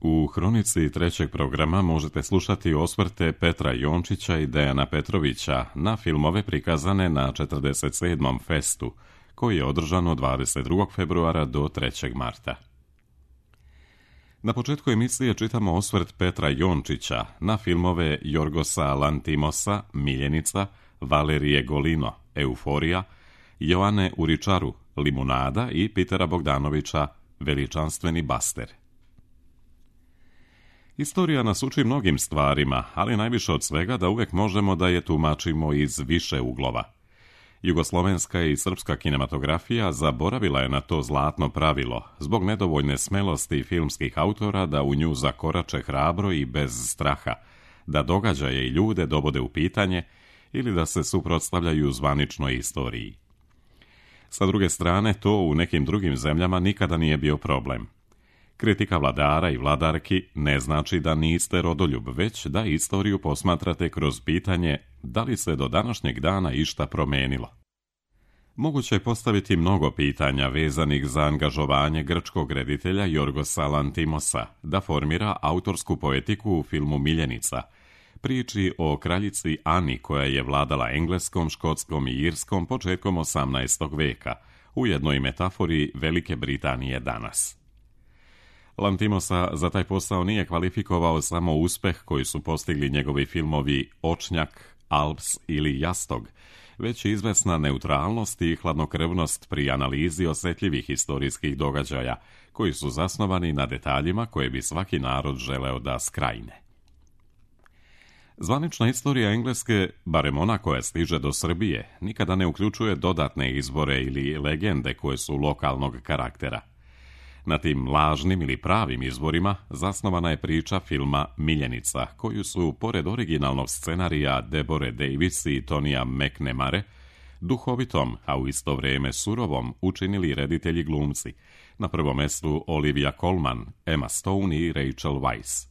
U hronici trećeg programa možete slušati osvrte Petra Jončića i Dejana Petrovića na filmove prikazane na 47. festu, koji je održan od 22. februara do 3. marta. Na početku emisije čitamo osvrt Petra Jončića na filmove Jorgosa Lantimosa, Miljenica, Valerije Golino, Euforija, Joane Uričaru, Limunada i Pitera Bogdanovića, Veličanstveni Baster. Istorija nas uči mnogim stvarima, ali najviše od svega da uvek možemo da je tumačimo iz više uglova. Jugoslovenska i srpska kinematografija zaboravila je na to zlatno pravilo, zbog nedovoljne smelosti filmskih autora da u nju zakorače hrabro i bez straha, da događaje i ljude dovode u pitanje ili da se suprotstavljaju zvaničnoj istoriji. Sa druge strane, to u nekim drugim zemljama nikada nije bio problem. Kritika vladara i vladarki ne znači da niste rodoljub, već da istoriju posmatrate kroz pitanje da li se do današnjeg dana išta promenilo. Moguće je postaviti mnogo pitanja vezanih za angažovanje grčkog reditelja Jorgosa Lantimosa da formira autorsku poetiku u filmu Miljenica, priči o kraljici Ani koja je vladala Engleskom, Škotskom i Irskom početkom 18. veka, ujedno i metafori Velike Britanije danas. Lantimosa za taj posao nije kvalifikovao samo uspeh koji su postigli njegovi filmovi Očnjak, Alps ili Jastog, već i izvesna neutralnost i hladnokrvnost pri analizi osetljivih historijskih događaja, koji su zasnovani na detaljima koje bi svaki narod želeo da skrajne. Zvanična istorija Engleske, barem ona koja stiže do Srbije, nikada ne uključuje dodatne izbore ili legende koje su lokalnog karaktera. Na tim lažnim ili pravim izborima zasnovana je priča filma Miljenica, koju su, pored originalnog scenarija Deborah Davis i Tonija McNamare, duhovitom, a u isto vrijeme surovom, učinili reditelji glumci, na prvom mestu Olivia Colman, Emma Stone i Rachel Weisz.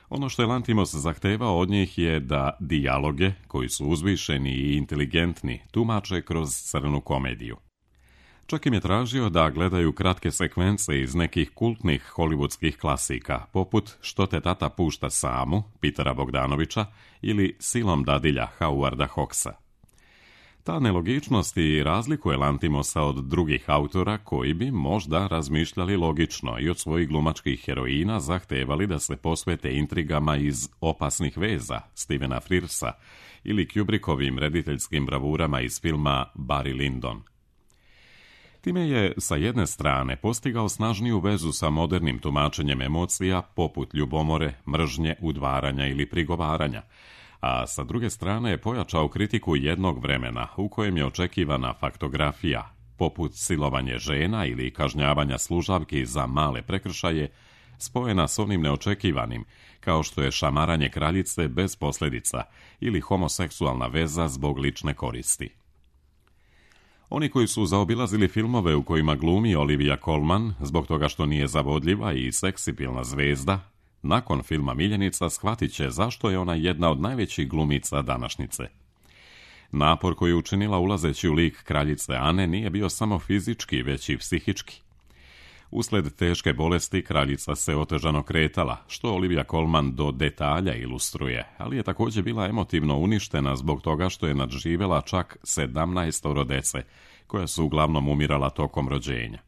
Ono što je Lantimos zahtevao od njih je da dijaloge, koji su uzvišeni i inteligentni, tumače kroz crnu komediju. Čak im je tražio da gledaju kratke sekvence iz nekih kultnih hollywoodskih klasika, poput Što te tata pušta samu, Pitera Bogdanovića, ili Silom dadilja, Howarda Hawksa. Ta nelogičnost i razlikuje Lantimosa od drugih autora koji bi možda razmišljali logično i od svojih glumačkih heroina zahtevali da se posvete intrigama iz Opasnih veza Stephena Frearsa ili Kubrickovim rediteljskim bravurama iz filma Barry Lyndon. Time je, sa jedne strane, postigao snažniju vezu sa modernim tumačenjem emocija poput ljubomore, mržnje, udvaranja ili prigovaranja, a sa druge strane je pojačao kritiku jednog vremena u kojem je očekivana faktografija, poput silovanje žena ili kažnjavanja služavki za male prekršaje, spojena s onim neočekivanim, kao što je šamaranje kraljice bez posljedica ili homoseksualna veza zbog lične koristi. Oni koji su zaobilazili filmove u kojima glumi Olivia Colman, zbog toga što nije zavodljiva i seksipilna zvezda, nakon filma Miljenica shvatit će zašto je ona jedna od najvećih glumica današnjice. Napor koji je učinila ulazeći u lik kraljice Ane nije bio samo fizički, već i psihički. Usled teške bolesti kraljica se otežano kretala, što Olivia Colman do detalja ilustruje, ali je također bila emotivno uništena zbog toga što je nadživjela čak 17 dece, koja su uglavnom umirala tokom rođenja.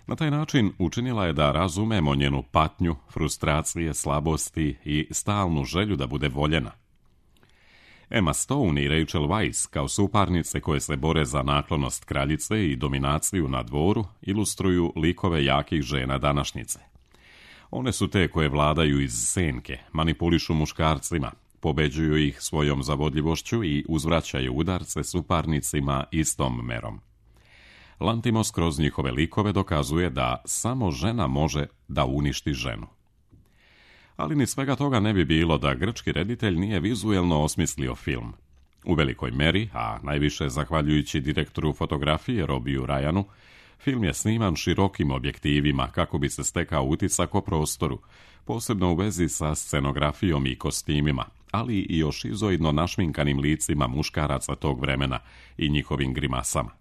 Na taj način učinila je da razumemo njenu patnju, frustracije, slabosti i stalnu želju da bude voljena. Emma Stone i Rachel Weisz, kao suparnice koje se bore za naklonost kraljice i dominaciju na dvoru, ilustruju likove jakih žena današnjice. One su te koje vladaju iz senke, manipulišu muškarcima, pobeđuju ih svojom zavodljivošću i uzvraćaju udarce suparnicima istom merom. Lantimos kroz njihove likove dokazuje da samo žena može da uništi ženu. Ali ni svega toga ne bi bilo da grčki reditelj nije vizuelno osmislio film. U velikoj meri, a najviše zahvaljujući direktoru fotografije Robiju Ryanu, film je sniman širokim objektivima kako bi se stekao utisak o prostoru, posebno u vezi sa scenografijom i kostimima, ali i o šizoidno našminkanim licima muškaraca tog vremena i njihovim grimasama.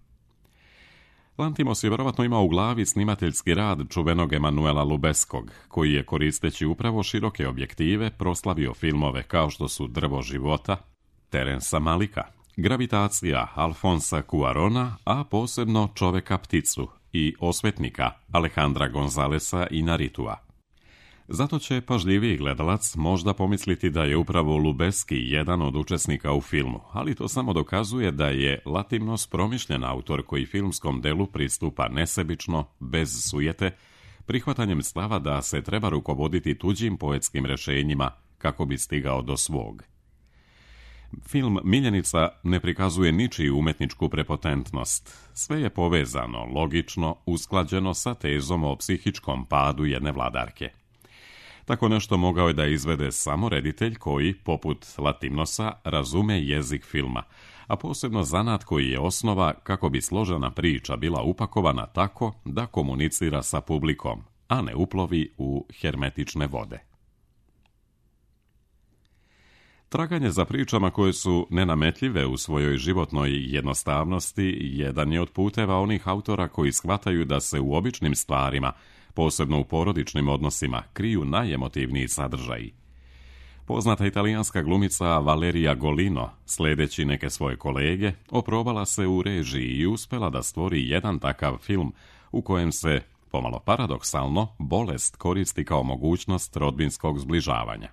Lantimos je vjerovatno imao u glavi snimateljski rad čuvenog Emanuela Lubeskog, koji je koristeći upravo široke objektive proslavio filmove kao što su Drvo života, Terensa Malika, Gravitacija Alfonsa Cuarona, a posebno Čoveka pticu i Osvetnika Alejandra Gonzalesa Inarritua. Zato će pažljiviji gledalac možda pomisliti da je upravo Lubeski jedan od učesnika u filmu, ali to samo dokazuje da je Lantimos promišljen autor koji filmskom delu pristupa nesebično, bez sujete, prihvatanjem stava da se treba rukovoditi tuđim poetskim rješenjima kako bi stigao do svog. Film Miljenica ne prikazuje ničiju umetničku prepotentnost. Sve je povezano, logično, usklađeno sa tezom o psihičkom padu jedne vladarke. Tako nešto mogao je da izvede samo reditelj koji, poput Lantimnosa, razume jezik filma, a posebno zanat koji je osnova kako bi složena priča bila upakovana tako da komunicira sa publikom, a ne uplovi u hermetične vode. Traganje za pričama koje su nenametljive u svojoj životnoj jednostavnosti jedan je od puteva onih autora koji shvataju da se u običnim stvarima, posebno u porodičnim odnosima, kriju najemotivniji sadržaji. Poznata italijanska glumica Valeria Golino, sledeći neke svoje kolege, oprobala se u režiji i uspela da stvori jedan takav film u kojem se, pomalo paradoksalno, bolest koristi kao mogućnost rodbinskog zbližavanja.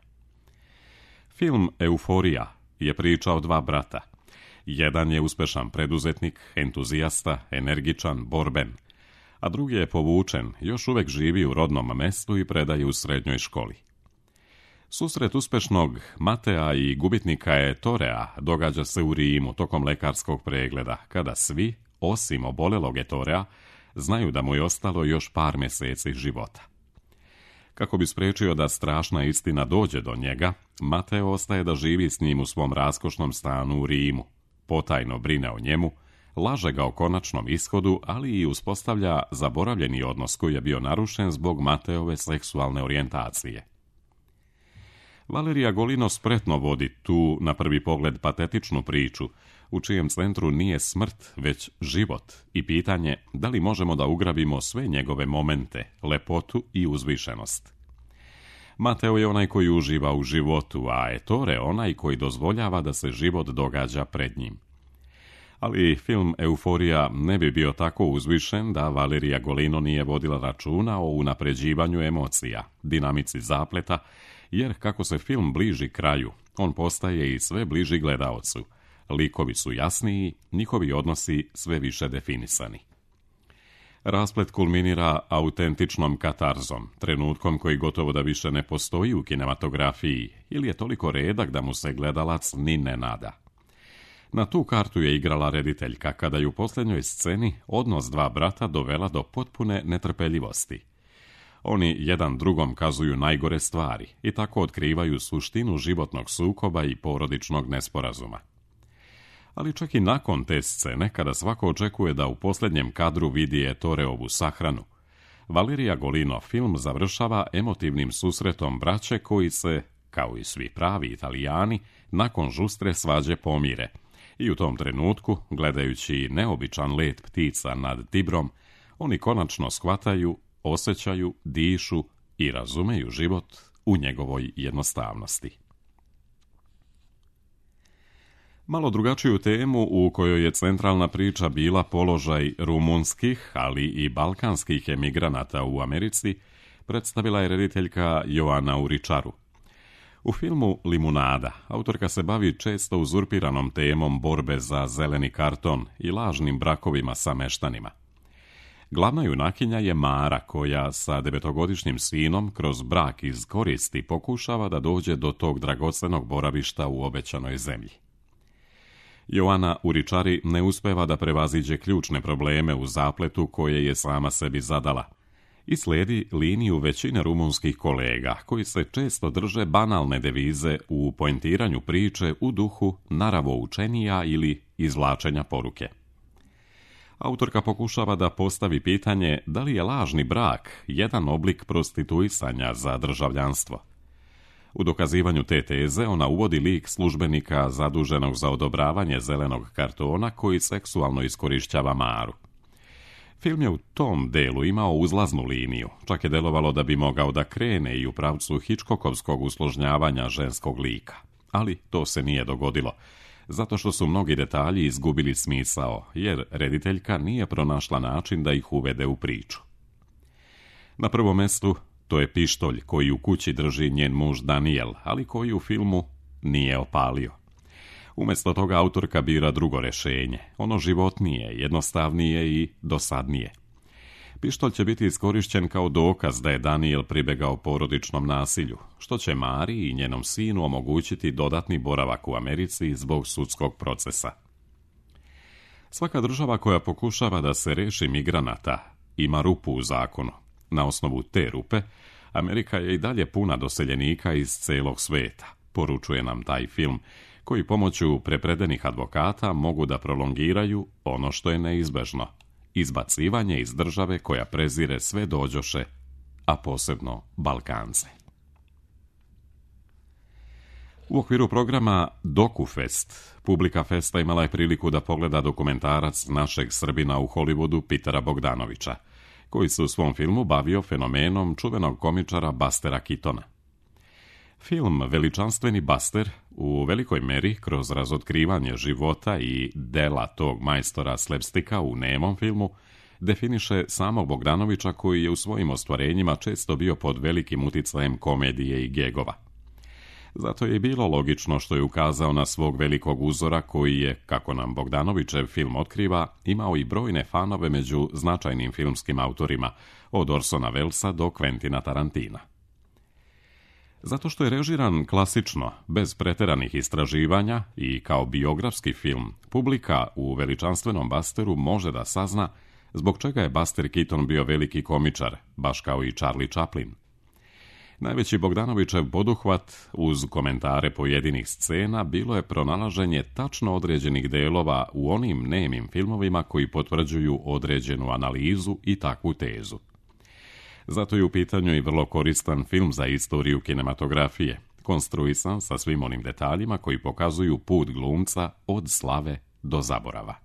Film Euforija je priča o dva brata. Jedan je uspešan preduzetnik, entuzijasta, energičan, borben, a drugi je povučen, još uvek živi u rodnom mestu i predaje u srednjoj školi. Susret uspešnog Matea i gubitnika Ettorea događa se u Rimu tokom lekarskog pregleda, kada svi, osim obolelog Ettorea, znaju da mu je ostalo još par meseci života. Kako bi spriječio da strašna istina dođe do njega, Mateo ostaje da živi s njim u svom raskošnom stanu u Rimu, potajno brine o njemu, laže ga o konačnom ishodu, ali i uspostavlja zaboravljeni odnos koji je bio narušen zbog Mateove seksualne orijentacije. Valeria Golino spretno vodi tu, na prvi pogled, patetičnu priču, u čijem centru nije smrt, već život i pitanje da li možemo da ugrabimo sve njegove momente, lepotu i uzvišenost. Mateo je onaj koji uživa u životu, a Ettore onaj koji dozvoljava da se život događa pred njim. Ali film Euforija ne bi bio tako uzvišen da Valeria Golino nije vodila računa o unapređivanju emocija, dinamici zapleta, jer kako se film bliži kraju, on postaje i sve bliži gledaocu. Likovi su jasniji, njihovi odnosi sve više definisani. Rasplet kulminira autentičnom katarzom, trenutkom koji gotovo da više ne postoji u kinematografiji ili je toliko redak da mu se gledalac ni ne nada. Na tu kartu je igrala rediteljka kada je u posljednjoj sceni odnos dva brata dovela do potpune netrpeljivosti. Oni jedan drugom kazuju najgore stvari i tako otkrivaju suštinu životnog sukoba i porodičnog nesporazuma. Ali čak i nakon te scene, kada svako očekuje da u posljednjem kadru vidi Ettoreovu sahranu, Valeria Golino film završava emotivnim susretom braće koji se, kao i svi pravi Italijani, nakon žustre svađe pomire. I u tom trenutku, gledajući neobičan let ptica nad Tibrom, oni konačno shvataju, osjećaju, dišu i razumeju život u njegovoj jednostavnosti. Malo drugačiju temu u kojoj je centralna priča bila položaj rumunskih, ali i balkanskih emigranata u Americi, predstavila je rediteljka Joana Uričaru. U filmu Limunada autorka se bavi često uzurpiranom temom borbe za zeleni karton i lažnim brakovima sa meštanima. Glavna junakinja je Mara koja sa 9-godišnjim sinom kroz brak iz koristi pokušava da dođe do tog dragocenog boravišta u obećanoj zemlji. Joana Uričari ne uspeva da prevaziđe ključne probleme u zapletu koje je sama sebi zadala i slijedi liniju većine rumunskih kolega koji se često drže banalne devize u poentiranju priče u duhu naravoučenija ili izvlačenja poruke. Autorka pokušava da postavi pitanje da li je lažni brak jedan oblik prostituisanja za državljanstvo. U dokazivanju te teze ona uvodi lik službenika zaduženog za odobravanje zelenog kartona koji seksualno iskorišćava Maru. Film je u tom delu imao uzlaznu liniju, čak je delovalo da bi mogao da krene i u pravcu Hitchcockovskog usložnjavanja ženskog lika. Ali to se nije dogodilo, zato što su mnogi detalji izgubili smisao, jer rediteljka nije pronašla način da ih uvede u priču. Na prvom mjestu to je pištolj koji u kući drži njen muž Daniel, ali koji u filmu nije opalio. Umjesto toga autorka bira drugo rješenje, ono životnije, jednostavnije i dosadnije. Pištolj će biti iskorišćen kao dokaz da je Daniel pribegao porodičnom nasilju, što će Mari i njenom sinu omogućiti dodatni boravak u Americi zbog sudskog procesa. Svaka država koja pokušava da se reši migranata ima rupu u zakonu. Na osnovu te rupe, Amerika je i dalje puna doseljenika iz celog sveta, poručuje nam taj film, koji pomoću prepredenih advokata mogu da prolongiraju ono što je neizbežno, izbacivanje iz države koja prezire sve dođoše, a posebno Balkance. U okviru programa DokuFest, publika festa imala je priliku da pogleda dokumentarac našeg Srbina u Hollywoodu Petera Bogdanovića, koji se u svom filmu bavio fenomenom čuvenog komičara Bustera Keatona. Film Veličanstveni Buster u velikoj meri kroz razotkrivanje života i dela tog majstora slapsticka u nemom filmu definiše samog Bogdanovića, koji je u svojim ostvarenjima često bio pod velikim uticajem komedije i gegova. Zato je i bilo logično što je ukazao na svog velikog uzora koji je, kako nam Bogdanovićev film otkriva, imao i brojne fanove među značajnim filmskim autorima, od Orsona Wellesa do Quentina Tarantina. Zato što je režiran klasično, bez preteranih istraživanja i kao biografski film, publika u Veličanstvenom Busteru može da sazna zbog čega je Buster Keaton bio veliki komičar, baš kao i Charlie Chaplin. Najveći Bogdanovićev poduhvat, uz komentare pojedinih scena, bilo je pronalaženje tačno određenih delova u onim nemim filmovima koji potvrđuju određenu analizu i takvu tezu. Zato je u pitanju i vrlo koristan film za istoriju kinematografije, konstruisan sa svim onim detaljima koji pokazuju put glumca od slave do zaborava.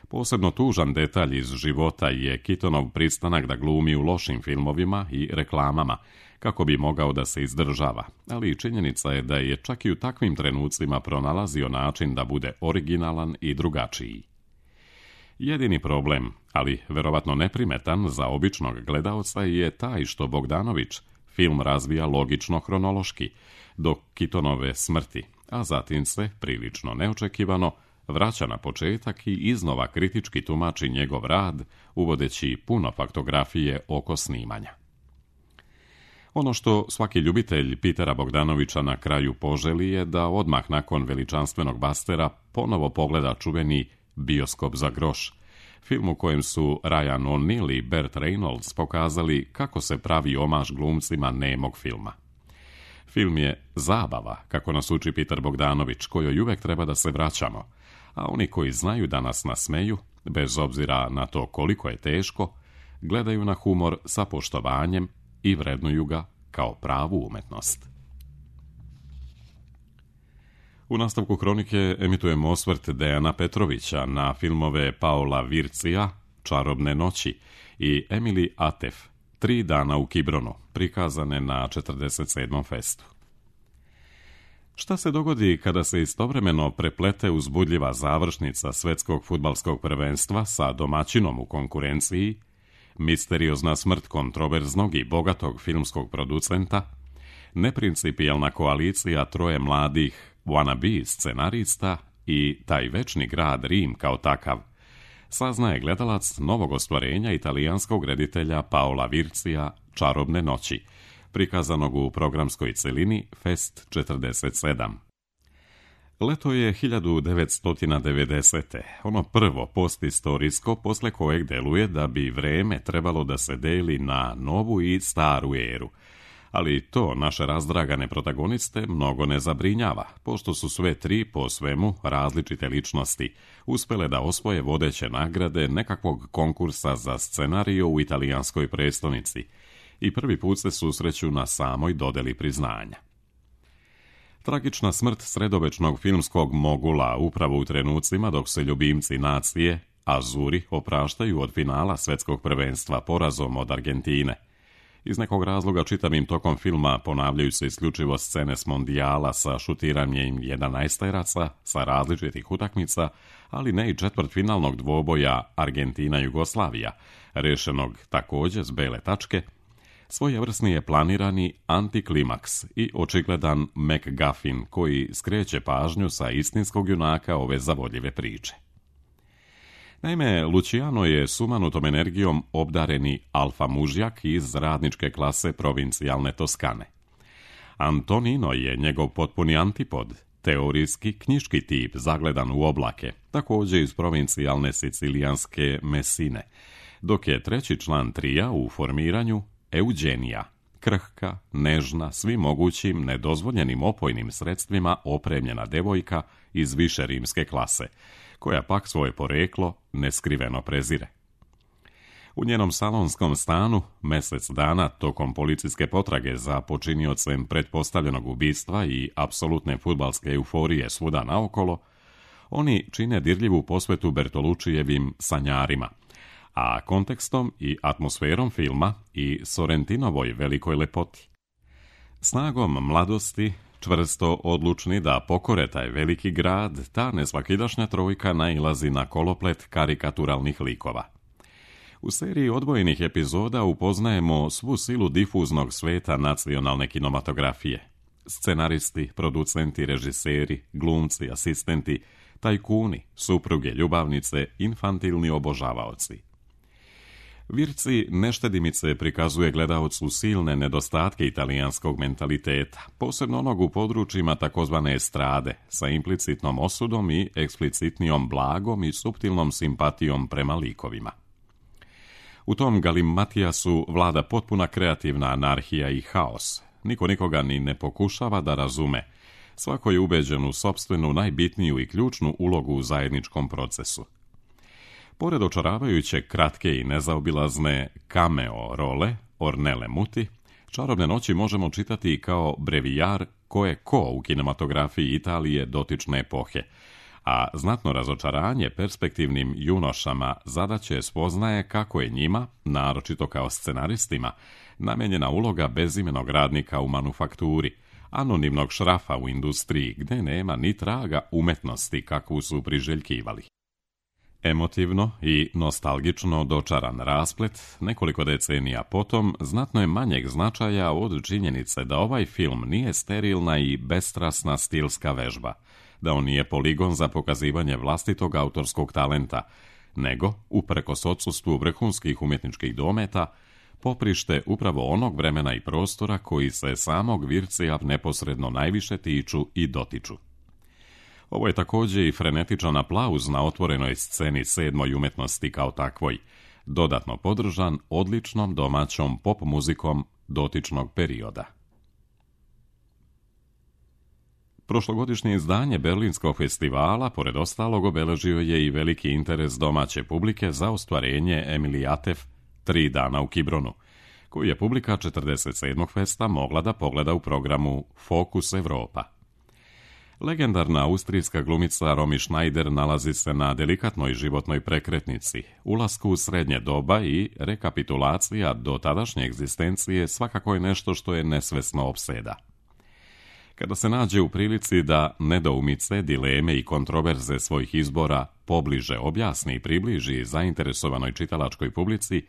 Posebno tužan detalj iz života je Keatonov pristanak da glumi u lošim filmovima i reklamama, kako bi mogao da se izdržava, ali činjenica je da je čak i u takvim trenucima pronalazio način da bude originalan i drugačiji. Jedini problem, ali verovatno neprimetan za običnog gledaoca, je taj što Bogdanović film razvija logično hronološki, do Keatonove smrti, a zatim se, prilično neočekivano, vraća na početak i iznova kritički tumači njegov rad, uvodeći puno faktografije oko snimanja. Ono što svaki ljubitelj Petera Bogdanovića na kraju poželi je da odmah nakon Veličanstvenog Bustera ponovo pogleda čuveni Bioskop za groš, film u kojem su Ryan O'Neal i Burt Reynolds pokazali kako se pravi omaž glumcima nemog filma. Film je zabava, kako nas uči Peter Bogdanović, kojoj uvek treba da se vraćamo, a oni koji znaju da nas nasmeju, bez obzira na to koliko je teško, gledaju na humor sa poštovanjem i vrednuju ga kao pravu umetnost. U nastavku Hronike emitujemo osvrt Dejana Petrovića na filmove Paola Vircija, Čarobne noći i Emily Atef, 3 dana u Kibronu, prikazane na 47. festu. Šta se dogodi kada se istovremeno preplete uzbudljiva završnica svetskog fudbalskog prvenstva sa domaćinom u konkurenciji, misteriozna smrt kontroverznog i bogatog filmskog producenta, neprincipijelna koalicija 3 mladih wannabe scenarista i taj večni grad Rim kao takav, saznaje gledalac novog ostvarenja italijanskog reditelja Paola Vircija Čarobne noći, prikazanog u programskoj celini Fest 47. Leto je 1990. Ono prvo postistorijsko posle kojeg deluje da bi vreme trebalo da se deli na novu i staru eru. Ali to naše razdragane protagoniste mnogo ne zabrinjava, pošto su sve 3 po svemu različite ličnosti uspele da osvoje vodeće nagrade nekakvog konkursa za scenariju u italijanskoj prestonici i prvi put se susreću na samoj dodeli priznanja. Tragična smrt sredovečnog filmskog mogula upravo u trenucima dok se ljubimci nacije, Azuri opraštaju od finala svjetskog prvenstva porazom od Argentine. Iz nekog razloga čitavim tokom filma ponavljaju se isključivo scene s mondijala sa šutiranjem 11-teraca sa različitih utakmica, ali ne i četvrtfinalnog dvoboja Argentina-Jugoslavija, rešenog također s bele tačke. Svojevrsni je planirani antiklimaks i očigledan MacGuffin koji skreće pažnju sa istinskog junaka ove zavodljive priče. Naime, Luciano je sumanutom energijom obdareni alfa mužjak iz radničke klase provincijalne Toskane. Antonino je njegov potpuni antipod, teorijski knjiški tip zagledan u oblake, također iz provincijalne sicilijanske Mesine, dok je treći član trija u formiranju Eugenija, krhka, nežna, svim mogućim nedozvoljenim opojnim sredstvima opremljena devojka iz više rimske klase, koja pak svoje poreklo neskriveno prezire. U njenom salonskom stanu, mjesec dana tokom policijske potrage za počiniocem pretpostavljenog ubistva i apsolutne fudbalske euforije svuda naokolo, oni čine dirljivu posvetu Bertolučijevim sanjarima, a kontekstom i atmosferom filma i Sorrentinovoj velikoj lepoti. Snagom mladosti, čvrsto odlučni da pokore taj veliki grad, ta nesvakidašnja trojka nailazi na koloplet karikaturalnih likova. U seriji odvojenih epizoda upoznajemo svu silu difuznog sveta nacionalne kinematografije. Scenaristi, producenti, režiseri, glumci, asistenti, tajkuni, supruge, ljubavnice, infantilni obožavaoci. Virci neštedimice prikazuje gledaocu silne nedostatke italijanskog mentaliteta, posebno onog u područjima takozvane estrade, sa implicitnom osudom i eksplicitnijom blagom i suptilnom simpatijom prema likovima. U tom galimatijasu vlada potpuna kreativna anarhija i haos. Niko nikoga ni ne pokušava da razume. Svako je ubeđen u sopstvenu najbitniju i ključnu ulogu u zajedničkom procesu. Pored očaravajuće kratke i nezaobilazne cameo role Ornelle Muti, Čarobne noći možemo čitati i kao brevijar ko je ko u kinematografiji Italije dotične epohe, a znatno razočaranje perspektivnim junošama zadaće spoznaje kako je njima, naročito kao scenaristima, namenjena uloga bezimenog radnika u manufakturi, anonimnog šrafa u industriji gdje nema ni traga umetnosti kakvu su priželjkivali. Emotivno i nostalgično dočaran rasplet, nekoliko decenija potom, znatno je manjeg značaja od činjenice da ovaj film nije sterilna i bestrasna stilska vežba, da on nije poligon za pokazivanje vlastitog autorskog talenta, nego, uprkos odsustvu vrhunskih umjetničkih dometa, poprište upravo onog vremena i prostora koji se samog Vircija neposredno najviše tiču i dotiču. Ovo je također i frenetičan aplauz na otvorenoj sceni sedmoj umetnosti kao takvoj, dodatno podržan odličnom domaćom pop muzikom dotičnog perioda. Prošlogodišnje izdanje Berlinskog festivala, pored ostalog, obeležio je i veliki interes domaće publike za ostvarenje Emiliatev 3 dana u Kibronu, koju je publika 47. festa mogla da pogleda u programu Fokus Evropa. Legendarna austrijska glumica Romy Schneider nalazi se na delikatnoj životnoj prekretnici, ulasku u srednje doba i rekapitulacija do tadašnje egzistencije svakako je nešto što je nesvesno opseda. Kada se nađe u prilici da nedoumice, dileme i kontroverze svojih izbora pobliže objasni i približi zainteresovanoj čitalačkoj publici,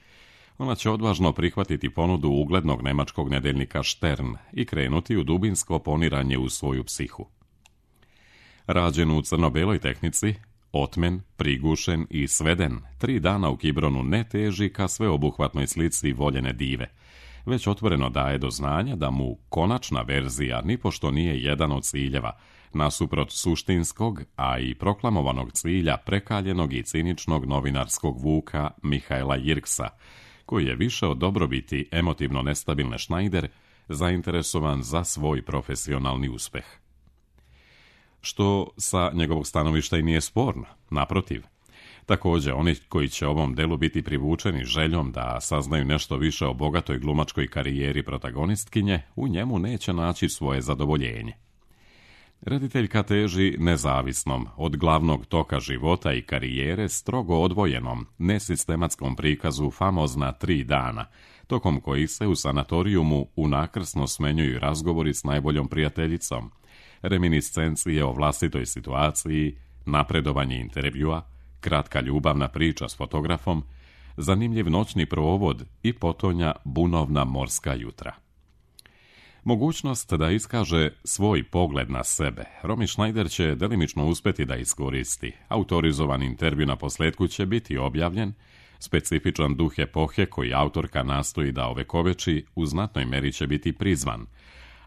ona će odvažno prihvatiti ponudu uglednog nemačkog nedeljnika Stern i krenuti u dubinsko poniranje u svoju psihu. Rađen u crno-beloj tehnici, otmen, prigušen i sveden, 3 dana u Kibronu ne teži ka sveobuhvatnoj slici voljene dive, već otvoreno daje do znanja da mu konačna verzija nipošto nije jedan od ciljeva, nasuprot suštinskog, a i proklamovanog cilja prekaljenog i ciničnog novinarskog vuka Mihaela Jirksa, koji je više od dobrobiti emotivno nestabilne Schneider zainteresovan za svoj profesionalni uspeh. Što sa njegovog stanovišta i nije sporno, naprotiv. Također, oni koji će ovom delu biti privučeni željom da saznaju nešto više o bogatoj glumačkoj karijeri protagonistkinje, u njemu neće naći svoje zadovoljenje. Rediteljka teži nezavisnom, od glavnog toka života i karijere strogo odvojenom, nesistematskom prikazu famozna 3 dana, tokom kojih se u sanatorijumu unakrsno smenjuju razgovori s najboljom prijateljicom, reminiscencije o vlastitoj situaciji, napredovanje intervjua, kratka ljubavna priča s fotografom, zanimljiv noćni provod i potonja bunovna morska jutra. Mogućnost da iskaže svoj pogled na sebe Romy Schneider će delimično uspjeti da iskoristi. Autorizovan intervju na posljetku će biti objavljen, specifičan duh epohe koji autorka nastoji da ovekoveči u znatnoj meri će biti prizvan,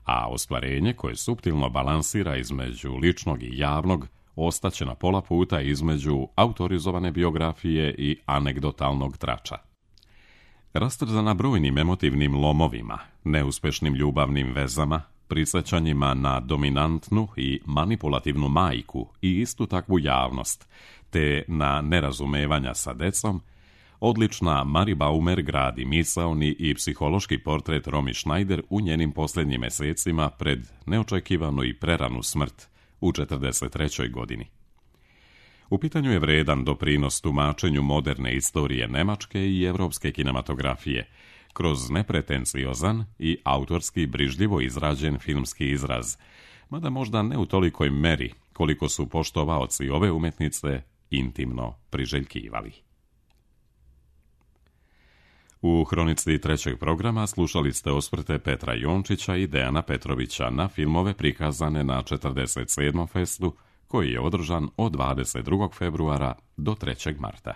a ostvarenje koje suptilno balansira između ličnog i javnog ostaće na pola puta između autorizovane biografije i anegdotalnog trača. Rastrzana brojnim emotivnim lomovima, neuspešnim ljubavnim vezama, prisjećanjima na dominantnu i manipulativnu majku i istu takvu javnost, te na nerazumevanja sa decom, odlična Mary Baumer gradi misaoni i psihološki portret Romy Schneider u njenim posljednjim mjesecima pred neočekivanu i preranu smrt u 43. godini. U pitanju je vredan doprinos tumačenju moderne istorije nemačke i europske kinematografije, kroz nepretenciozan i autorski brižljivo izrađen filmski izraz, mada možda ne u tolikoj meri koliko su poštovaoci ove umjetnice intimno priželjkivali. U hronici trećeg programa slušali ste osvrte Petra Jončića i Dejana Petrovića na filmove prikazane na 47. festu, koji je održan od 22. februara do 3. marta.